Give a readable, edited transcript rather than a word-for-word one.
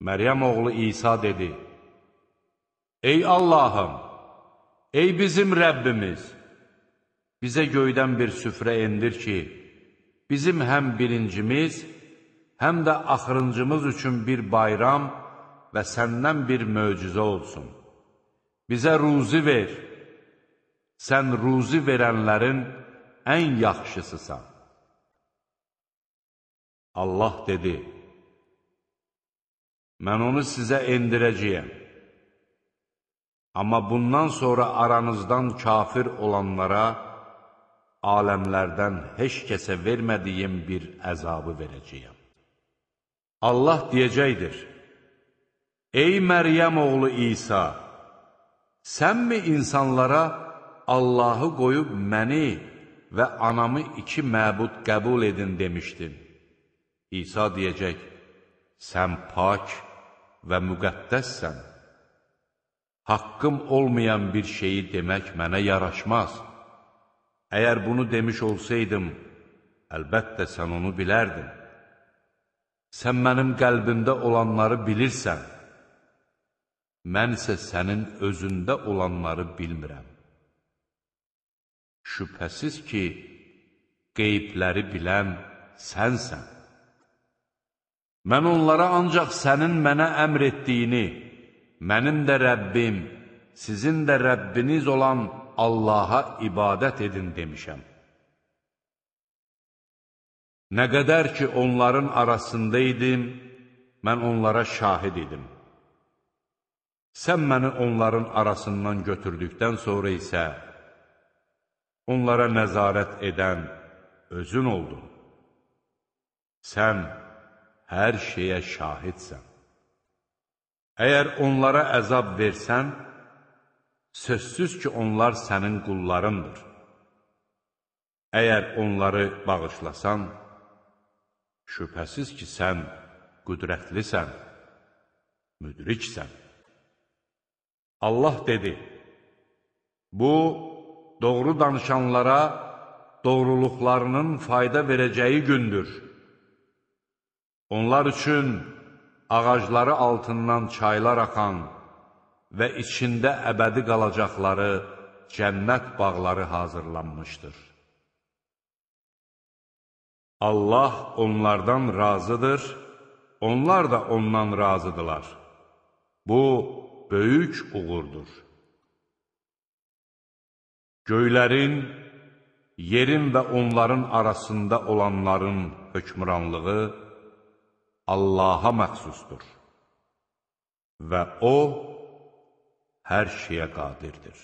Məryəm oğlu İsa dedi: Ey Allahım, ey bizim Rəbbimiz, bizə göydən bir süfrə endir ki, bizim həm birincimiz, həm də axırıncımız üçün bir bayram və səndən bir möcüzə olsun. Bizə ruzi ver, sən ruzi verənlərin ən yaxşısısan. Allah dedi: Mən onu sizə endirəcəyəm. Amma bundan sonra aranızdan kafir olanlara aləmlərdən heç kəsə vermədiyim bir əzabı verəcəyəm. Allah deyəcəkdir: Ey Məryəm oğlu İsa, sənmi insanlara Allahı qoyub məni və anamı iki məbud qəbul edin demişdin? İsa deyəcək: Sən pak və müqəddəssən. Haqqım olmayan bir şeyi demək mənə yaraşmaz. Əgər bunu demiş olsaydım, əlbəttə sən onu bilərdin. Sən mənim qəlbimdə olanları bilirsən. Mən isə sənin özündə olanları bilmirəm. Şübhəsiz ki, qeybləri bilən sənsən. Mən onlara ancaq sənin mənə əmr etdiyini, mənim də Rəbbim, sizin də Rəbbiniz olan Allaha ibadət edin demişəm. Nə qədər ki, onların arasında idim, mən onlara şahid idim. Sən məni onların arasından götürdükdən sonra isə onlara nəzarət edən özün oldun. Sən hər şeyə şahidsən. Əgər onlara əzab versən, sözsüz ki, onlar sənin qullarındır. Əgər onları bağışlasan, şübhəsiz ki, sən qüdrətlisən, müdriksən. Allah dedi: Bu, doğru danışanlara doğruluqlarının fayda verəcəyi gündür. Onlar üçün ağacları altından çaylar axan və içində əbədi qalacaqları cənnət bağları hazırlanmışdır. Allah onlardan razıdır, onlar da ondan razıdırlar. Bu, böyük uğurdur. Göylərin, yerin və onların arasında olanların hökmranlığı Allaha məxsusdur və O, hər şeyə qadirdir.